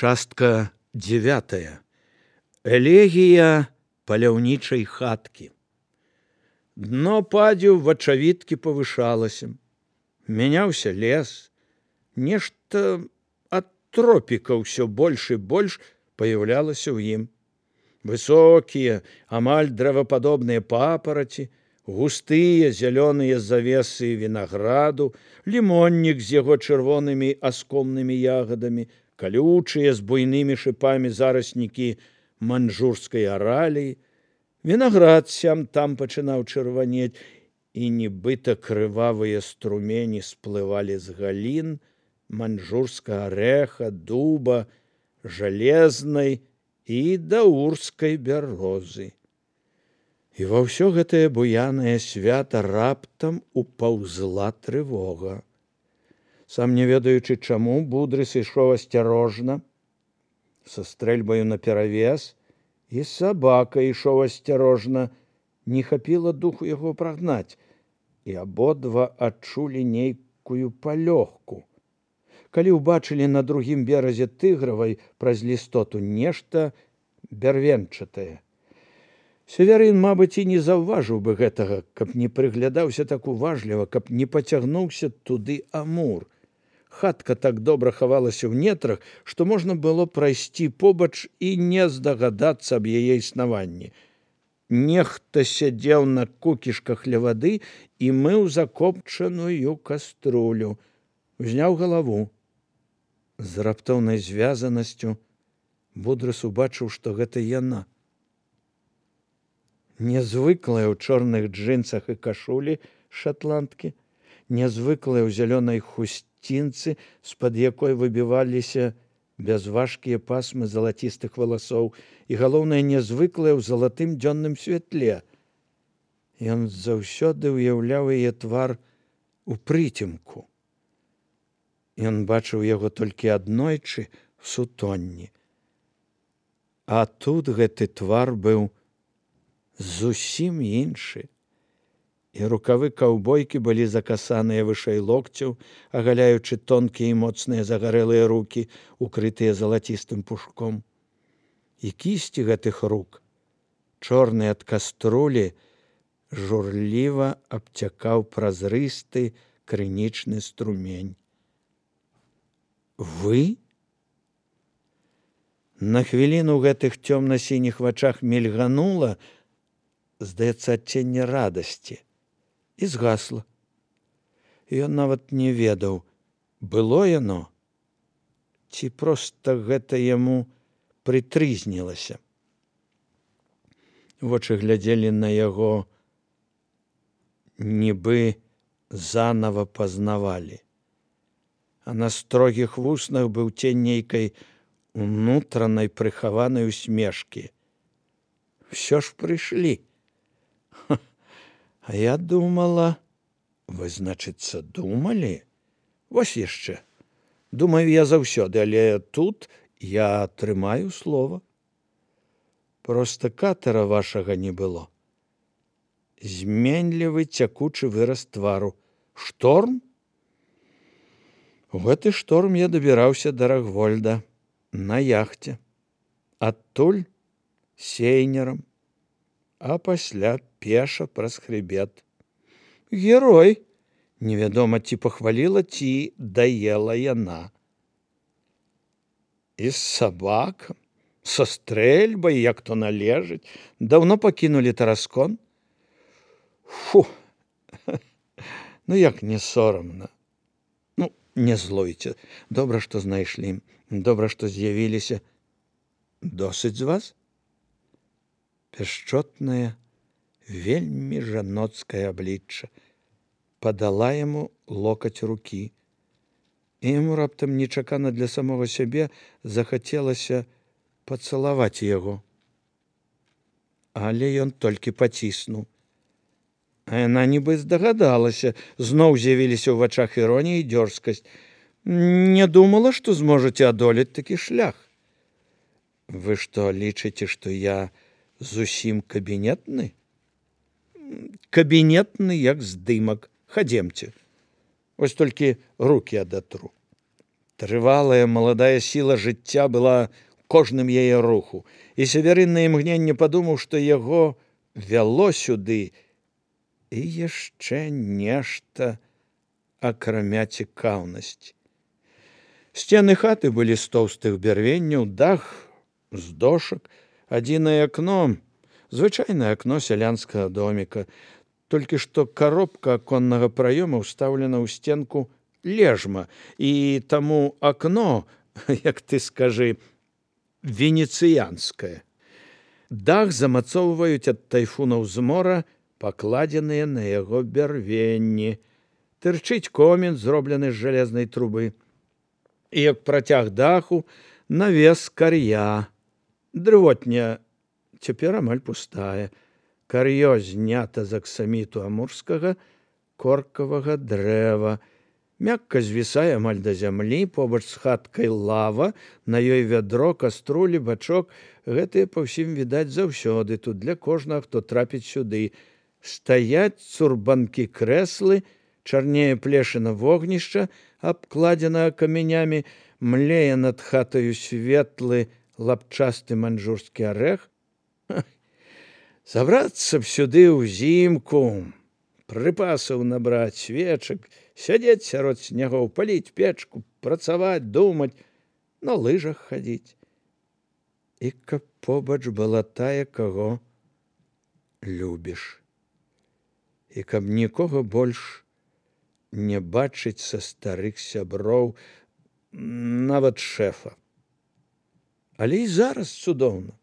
Частка 9. Элегія паляўнічай хаткі. Дно падзю вачавіткі павышалася. Мяняўся лес. Нешта ад тропіка ўсё больш і больш паяўлялася ў ім. Высокія, амаль дрэвападобныя папараці, густыя зялёныя завесы вінаграду, лімоннік з яго чырвонымі аскомнымі ягадамі, калючыя з буйнымі шыпамі зараснікі маньчжурскай араліі, вінаград сям-там пачынаў чырванець, і нібыта крывавыя струмені сплывалі з галін маньчжурскага арэха, дуба, жалезнай і даурскай бярозы. І ва ўсё гэтае буянае свята раптам упаўзла трывога. Сам не ведаючы чаму, Будрыс ішоў асцярожна, са стрэльбаю наперавес, і сабака ішоў асцярожна, не хапіла духу яго прагнаць, і абодва адчулі нейкую палёгку. Калі ўбачылі на другім беразе Тыгравай праз лістоту нешта бярвенчатае. Севярын, мабыць, і не заўважыў бы гэтага, каб не прыглядаўся так уважліва, каб не пацягнуўся туды Амур. Хатка так добра хавалася ў нетрах, што можна было прайсці побач і не здагадацца аб яе існаванні. Нехта сядзеў на кукішках ля вады і мыў закопчаную каструлю. Узняў галаву. З раптоўнай звязанасцю Будрыс убачыў, што гэта яна. Нязвыклая ў чорных джынсах і кашулі шатландкі, нязвыклая ў зялёнай хусцінцы, з-пад якой выбіваліся бязважкія пасмы залацістых валасоў, і, галоўнае, нязвыклая ў залатым дзённым святле. Ён заўсёды ўяўляў яе твар у прыцемку. Ён бачыў яго толькі аднойчы в сутонні. А тут гэты твар быў зусім іншы. І рукавы каўбойкі былі закасаныя вышэй локцяў, агаляючы тонкія і моцныя загарэлыя рукі, укрытыя залацістым пушком. І кісці гэтых рук, чорныя ад каструлі, журліва абцякаў празрысты крынічны струмень. Вы? На хвіліну ў гэтых цёмна-сініх вачах мільганула, здаецца, адценне радасці, і згасла. Ён нават не ведаў, было яно, ці проста гэта яму прытрызнілася. Вочы глядзелі на яго, нібы занава пазнавалі. А на строгіх вуснах быў цень нейкай унутранай прыхаванай усмешкі. Всё ж прыйшлі. А я думала, вы, значыцца, думалі? Вось яшчэ. Думаю я заўсёды, але тут я трымаю слова. Проста катара вашага не было. Зменлівы цякучы выраз твару. Шторм? У гэты шторм я дабіраўся да Рагвольда на яхце. Адтуль сейнерам, а пасля пеша праз хрыбет. Герой! Невядома, ці пахваліла, ці даела яна. І з сабакам, са стрэльбай, як то належыць, даўно пакінулі Тараскон? Фу! Ну, як не сорамна. Ну, не злуйце. Добра, што знайшлі. Добра, што з'явіліся. Досыць з вас? Пяшчотнае, вельмі жаноцкае аблічча падала яму локаць рукі. І яму раптам нечакана для самога сябе захацелася пацалаваць яго. Але ён толькі паціснуў. А яна нібы здагадалася, зноў з'явіліся ў вачах іронія і дзёрзкасць. Не думала, што зможаце адолець такі шлях. Вы што, лічыце, што я зусім кабінетны? Кабінетны, як здымак. Хадземце. Вось толькі рукі адатру. Трывалая маладая сіла жыцця была кожным яе руху, і Северын на імгненне падумаў, што яго вяло сюды і яшчэ нешта, акрамя цікаўнасці. Сцены хаты былі з тоўстых бярвенняў, дах з дошак, адзінае акно, звычайнае акно сялянскага доміка, толькі што коробка аконнага праёма ўстаўлена ў сценку лежма, і таму акно, як ты скажы, венецыянскае. Дах замацоўваюць ад тайфунаў з мора, пакладзеныя на яго бярвенні. Тырчыць комін, зроблены з жалезнай трубы. І як працяг даху, навес кар'я. Дрывотня цяпер амаль пустая. Кар'ё знята з аксаміту амурскага коркавага дрэва. Мякка звісае амаль да зямлі, побач з хаткай лава, на ёй вядро, каструлі, бачок. Гэтыя па ўсім відаць заўсёды, тут для кожнага, хто трапіць сюды. Стаяць цурбанкі крэслы, чарнее плешына вогнішча, абкладзена камянямі, млее над хатаю светлы лапчасты манжурскі арэх. Забрацца б сюды ўзімку, прыпасаў набраць, свечак, сядзець сярод снягоў, паліць печку, працаваць, думаць, на лыжах хадзіць. І каб побач была тая, каго любіш. І каб нікога больш не бачыць са старых сяброў, нават шэфа. Але і зараз цудоўна.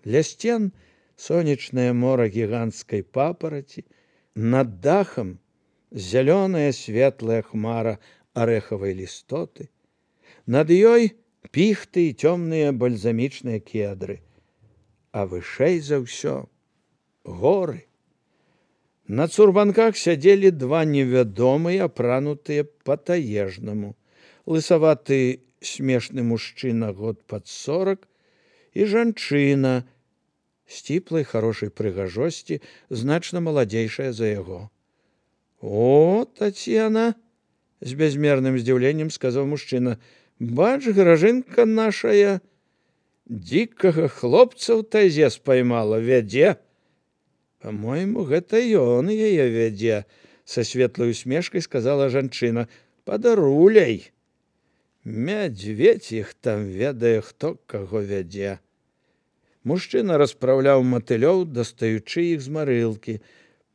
Ля сцен сонечнае мора гіганцкай папараці, над дахам зялёная светлая хмара арэхавай лістоты, над ёй піхты і цёмныя бальзамічныя кедры, а вышэй за ўсё горы. На цурбанках сядзелі два невядомыя, апранутыя па-таежнаму. Лысаваты смешны мужчына год пад 40 і жанчына сціплай хорошай прыгажосці, значна маладзейшая за яго. «О, Татьяна!» – з бязмерным здзіўленнем сказаў мужчына. «Бач, гражынка нашая, дзікага хлопца ў тайзе спаймала, вядзе». «Па-мойму, гэта ён яе вядзе», – са светлай усмешкай сказала жанчына. «Падаруляй. Мядзведзь іх там ведае, хто каго вядзе». Мужчына распраўляў матылёў, дастаючы іх з марылкі,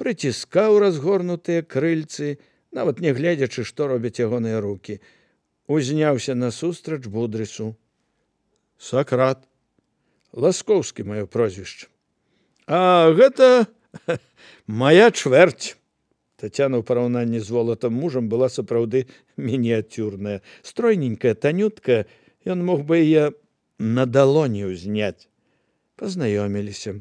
прыціскаў разгорнутыя крыльцы, нават не гледзячы, што робяць ягоныя рукі. Узняўся насустрач Будрысу. «Сакрат. Ласкоўскі маё прозвішча. А гэта моя чвэрць». Тацяна ў параўнанні з волатам мужам была сапраўды мініяцюрная. Стройненькая, танютка, ён мог бы яе на далоні ўзняць. Пазнаёміліся.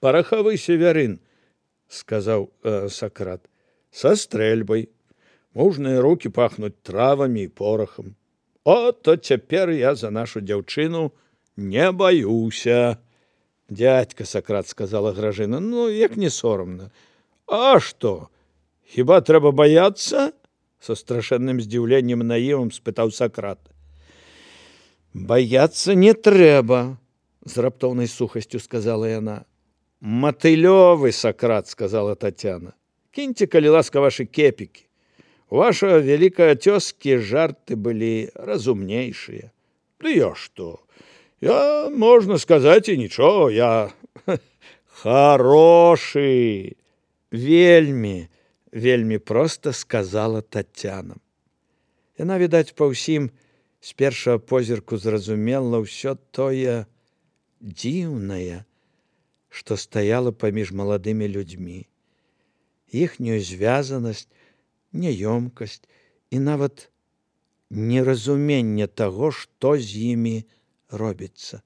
«Парахавы Северын», – сказаў Сакрат, – «са стрэльбай. Мужныя рукі пахнуць травамі і порахам. О, то цяпер я за нашу дзяўчыну не баюся». «Дядька Сакрат», – сказала Гражына, – «ну, як не сорамна». «А што, хіба трэба баяцца?» – са страшэнным здзіўленнем наівам спытаў Сакрат. «Баяцца не трэба», – з раптоўнай сухасцю сказала яна. «Матылёвы, Сакрат», – сказала Татьяна. «Кіньце, калі ласка, вашы кепікі. У ваша вялікая цёзкі жарты былі разумнейшыя». «Ды я што? Я, можна сказаць, і нічого, я хорошы». «Вельмі, вельмі проста», – сказала Татьяна. Яна, відаць, па ўсім з першага позірку зразумела ўсё тое дзіўнае, што стаяла паміж маладымі людзьмі. Іхнюю звязанасць, няёмкасць і нават неразуменне таго, што з імі робіцца.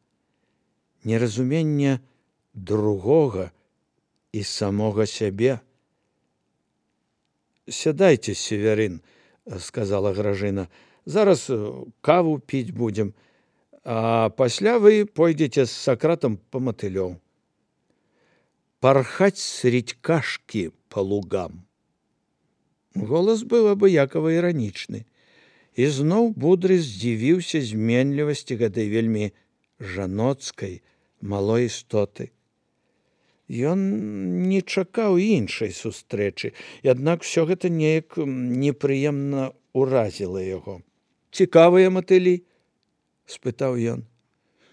Неразуменне другога і самога сябе. «Сядайце, Северын», – сказала Гражына. «Зараз каву піць будзем, а пасля вы пойдзеце з Сакратам па матылёў. Пархаць средь кашкі па лугам». Голас быў абыякава іранічны. І зноў Будры здзівіўся зменлівасці гэтай вельмі жаноцкай малой істоты. Ён не чакаў іншай сустрэчы, аднак усё гэта неяк непрыемна ўразіла яго. «Цікавыя матылі?» – спытаў ён.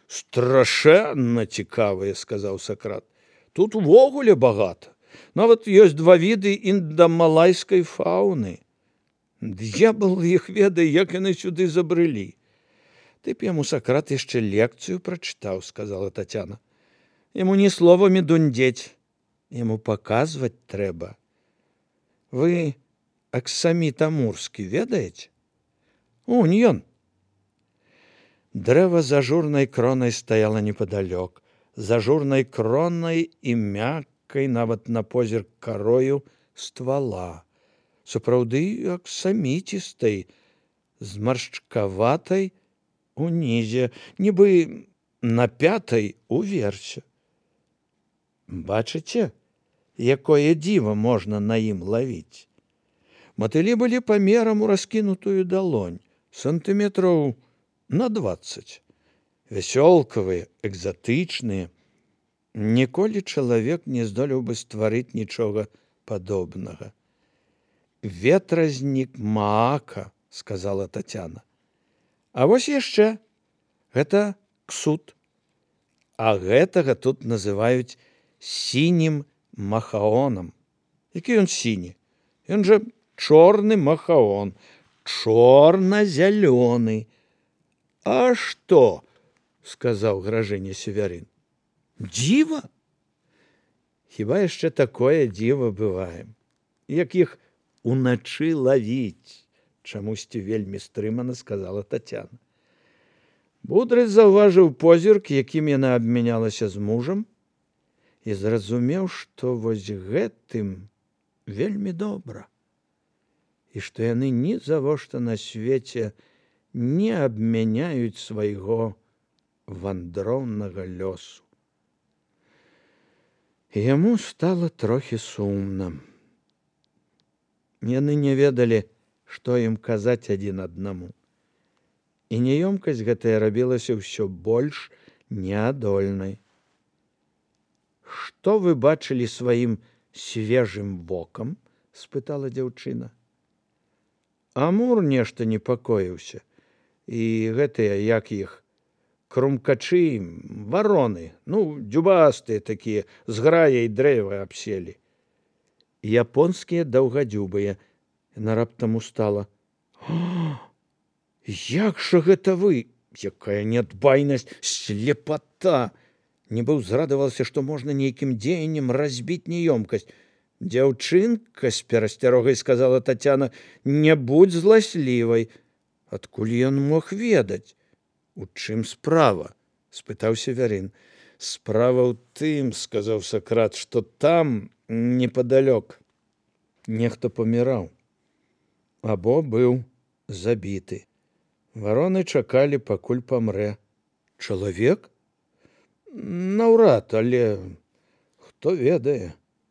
«Страшэнна цікавыя», – сказаў Сакрат. «Тут увогуле багата. Нават ёсць 2 віды індамалайскай фауны. Д'ябал іх ведае, як яны сюды забрылі». «Ты б яму, Сакрат, яшчэ лекцыю прачытаў», – сказала Тацяна. «Яму не словамі дундзець, яму паказваць трэба. Вы Аксаміт Амурскі ведаеце?» «Унь ён». Дрэва з ажурнай кронай стаяла непадалёк, з ажурнай кронай і мяккай нават на позірк карою ствала, сапраўды аксаміцістай, з маршчкаватай унізе, нібы на 5-й уверсе. Бачыце, якое дзіва можна на ім лавіць? Матылі былі памерам у раскінутую далонь, сантыметраў на 20. Вясёлкавыя, экзатычныя. Ніколі чалавек не здолеў бы стварыць нічога падобнага. «Ветразнік Маака», – сказала Тацяна. «А вось яшчэ, гэта ксут. А гэтага тут называюць сінім махаонам». «Які ён сіні? Ён жа чорны махаон, чорна-зялёны». «А што?» – сказаў Гражыня Севярын. «Дзіва? Хіба яшчэ такое дзіва бывае, як іх уначы лавіць», – чамусьці вельмі стрымана сказала Тацяна. Будры заўважыў позірк, якім яна абмянялася з мужам, і зразумеў, што вось гэтым вельмі добра, і што яны ні завошта на свеце не абмяняюць свайго вандроўнага лёсу. Яму стала трохі сумна. Яны не ведалі, што ім казаць адзін аднаму. І няёмкасць гэтая рабілася ўсё больш неадольнай. «Што вы бачылі сваім свежым вокам?» – спытала дзяўчына. Амур нешта непакоіўся. І гэтыя, як іх, крумкачы, вароны, дзюбастыя такія, з граяй дрэва абселі. Японскія даўгадзюбыя. Яна раптам устала. «Як жа гэта вы? Якая нядбайнасць, слепата!» Нібы ўзрадавалася, што можна нейкім дзеяннем разбіць няёмкасць. «Дзяўчынка, з перасцярогай сказала Тацяна, не будзь зласлівай». «Адкуль ён мог ведаць?» «У чым справа?» – спытаў Севярын. «Справа ў тым, – сказаў Сакрат, – што там, непадалёк, нехта паміраў. Або быў забіты. Вароны чакалі, пакуль памрэ. Чалавек? Наўрад, але хто ведае».